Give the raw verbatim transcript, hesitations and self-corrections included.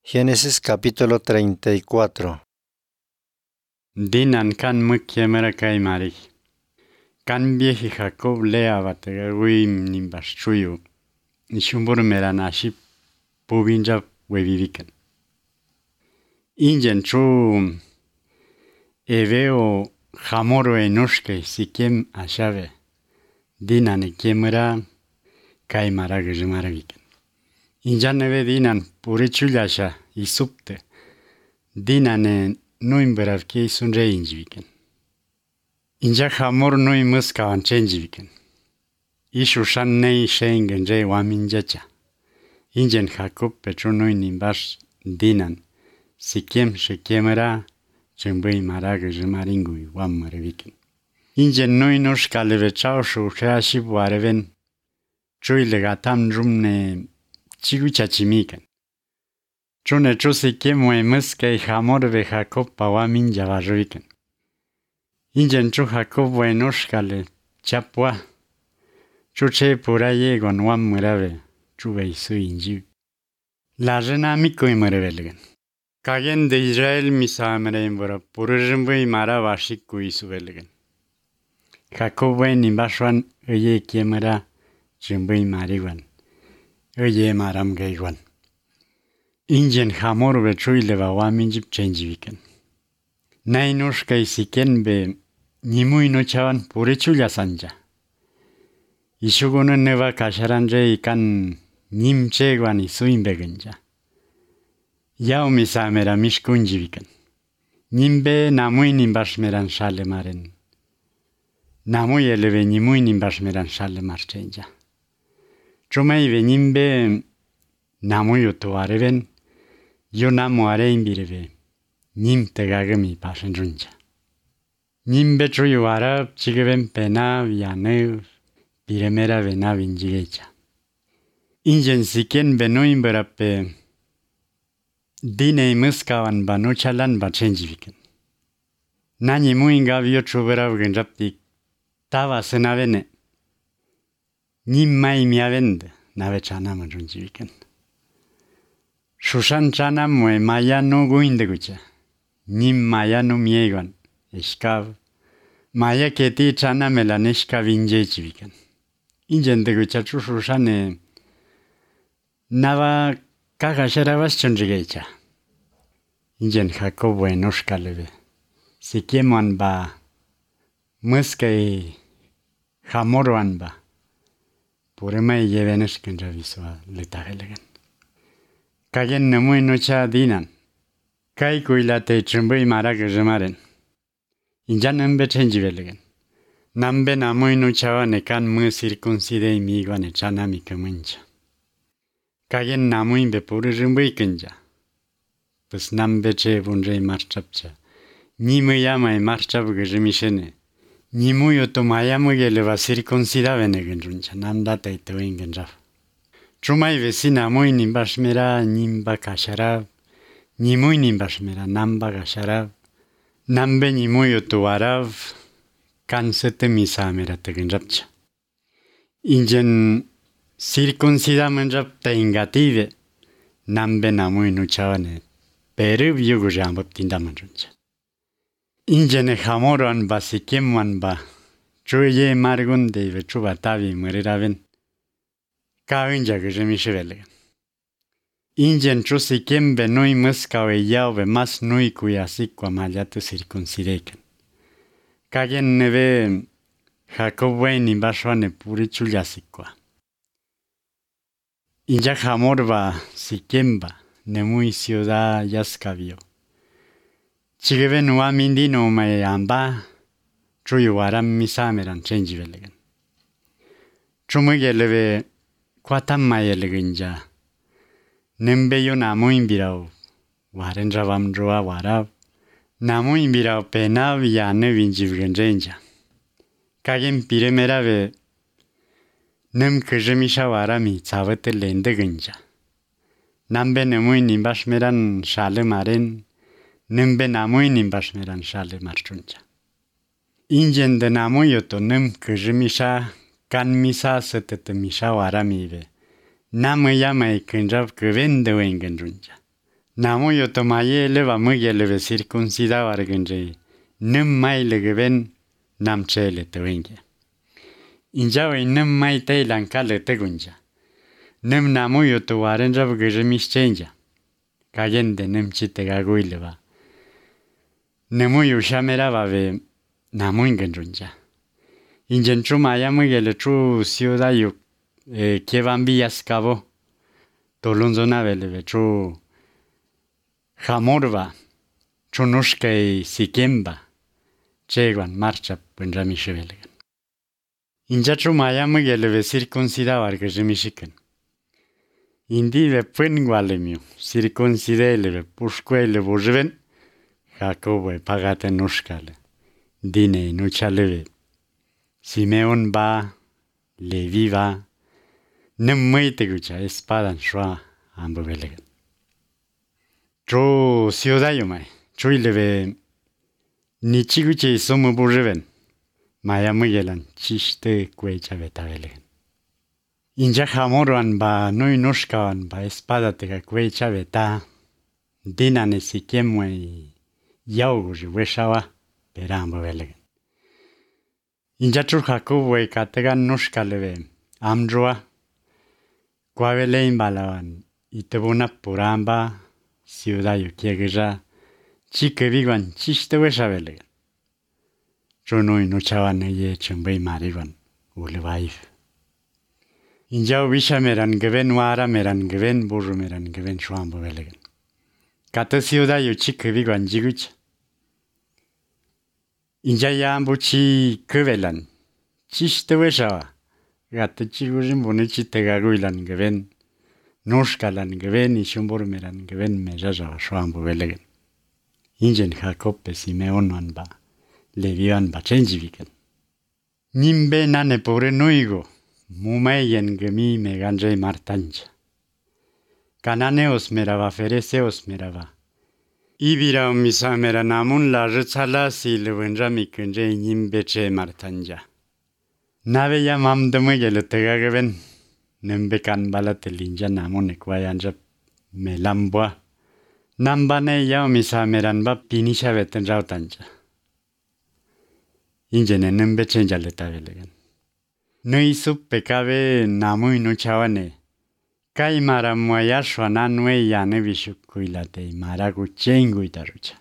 Génesis capítulo treinta y cuatro. Dinan kan mukyemera kaimari. Kan vieji Jacob lea batagawim nimbaschuyu. Nishumbur meranashi pubinja weviviken. Ingen chu eveo jamoro enoshke sikem ashave. Dinan ekemera kaimara gajmaraviken. Injan eve dinan purichulasha isupte. Dinan Noi mbăravchei sunt reinjiviken. Inja hamor noi măscavan cenjiviken. Ishu shan nei shengen rei waminjacha. Ingen Jacob petru noi nimbash dinan. Sikem shekemera chembăi maragă jmaringui wammăreviken. Ingen noi nosh kalevechau shu sheashi buareven. Chui legatam drumne chigucha chimiken. Chune chu sikem we măscai hamor ve Jacob pa waminja vajoviken. Ingen chu Jacob we noshkale chapua. Chu che pura yegon wammărave chu vei su injiv. La jena mico imărevelgen. Kagen de Israel misamere imbora purăjâmbăi mara vașic cu isuvelgen. Jacob we nimbashwan îye chemăra jâmbăi mariwan. Îye maram găiwan. Ingen hamor ve chuileva waminjib cenjiviken. Nai noshkai siken be nimui no chavan purichulia sanja. Ishugono neva kasharanje ikan nim chegwan isuimbegenja. Yao misamera mishkunjiviken. Nimbe namui nimbashmeran shale maren. Namui eleve nimui nimbashmeran shale marchenja. Chumai ve nimbe namui utuareven. Yo namu arein bireve. Nim tegagami pashenjunja. Nim betruyu arab chigeven pena vianev biremera vena vinjigecha. Ingen siken benoin berape dinei măscavan banuchalan bachenjiviken. Nani muinga vio chuberav gânjaptic tava sânavene. Nim mai miavend navechana măjunjiviken. Shushan chana mue maya no guindegucha. Nim maya no miegan. Eskav. Maya keti chana melaneshka vinjechiviken. Ingen degucha chu shushane. Nava kagasharavas chonjigecha. Ingen Jacob we noshkaleve. Sikeman ba. Măscai hamorwan ba. Puremai yeveneshken javisua letagelegen. Kagen nemui nocha dinan. Kai kuilate chembui maragă jmaren. Injan embe cenjivelegen. Nambe namui nocha nekan mă circuncidei migone chanami cămâncha. Kagen namui be puru jmbui cânja. Păs nambe ce bunjei marchapcha. Nimă ia mai marchap găjmișene. Nimui otomaya măgele va circuncida vene gânjuncha. Nam datei tăuin gânjaf. Chumai vecina muy nimbashmera nimba kashara. Nimui nimbashmera namba kashara. Nambe nimui otuarav. Kan sete misamera tegânjapcha. Ingen circuncida mânjap te ingative. Nambe namui nuchavane. Perub yugu jambab tinda mânjuncha. Ingen hamoran ba sikemman ba. Chuye margunde ve chubatavi măriraven. Ca înja găjemișevelegen. Ingen chu sikem be noi măscau e iau ve mas noi cu iasic cu amaliată circuncideiken. Kagen neve Jacob we nimbashwane purichul iasicua. Inja hamorba sikemba nemui ciudad yaskavio. Chigeven uamindino mai amba chuyu aram misameran cenjivelegen. Chumăgeleve Quatam mai elegânja. Nembe yo namu imbirau. Waren ravam droa warav. Namu imbirau penav yane vinjivgânjenja. Kagen piremera ve. Nem kăjămișa warami țavătă lende gânja. Nambe nemui nimbashmeran shale maren. Nembe namui nimbashmeran shale marchunja. Ingen de namu yoto nem kăjămișa Can misa să te misa waramive. Namă ia mai cânjav că vende o îngânjunja. Namu yo tomaye leva măgeleve circuncida vargânjei. Nâm mai legăven nam cele tăvânge. Injaui nâm mai teilan cală tăgunja. Nâm namu yo to warenja vgăjă mișcenja. Cagende nâm cite gaguileva. Nămu yo șamerava ve namu ingânjunja. Ingențu maia măgele cu ciuda yo que van vías cabo. Tolunzonavele ve cu Hamorva, Chunushkei Sikemba, Cheguan marcha pânja mișevelegan. Injaču maia măgeleve circuncidava argăjă mișican. Indive pângoalemiu, circuncideleve pușcoele bujven, Jacoboe pagate nușcale, dine nucealeve. Simeon ba, Levi ba, nâm măite gucea espadan șoa ambăvelegan. Cho ciudayo mai, chuileve ni chiguche somu burreven, maya măgelan chiste cuecha betavelegan. Inja jamoruan ba noi nușcawan ba espada tega cuecha beta, dinane sikemui yauguji weșawa perambă velegan. Inja chu Jacoboe categan nușcaleve amjua, coavele imbalawan itebuna puramba, ciudayo kiegeja chique viguan chiste weșavelegan. Chonoi nuchawan ye chembei mariwan ulevaif. Injau visha meran geven wara meran geven burru meran geven șoambă velegan. Cată ciudayo chique viguan jigucha. Inja yambu chi căvelan chiste weșava. Gată chigurin bunici tegaguilan geven. Nușcalan geven ișumbur meran geven mejaja șoambă velegan. Ingen Jacob pe Simeon ba, Levi ba cenjivican. Nimbe nane pore noigo, mumeyen gemi meganjei martanja. Cananeos merava fereseos merava. Ibira misa mera namun la rățala si lăvânja micânjei nimbe ce martanja. Nave ya mam dămăgele tăga geven. Nembekan balate linja namun ekwayanja melambua. Nambane yao misa meranba pinisha veten rautanja. Ingene nembe chenja letavelegan. Nui sup pecave namui nu chawane. Kai mara moya shwana nue yane vishu kuilate mara gu chengu itarucha.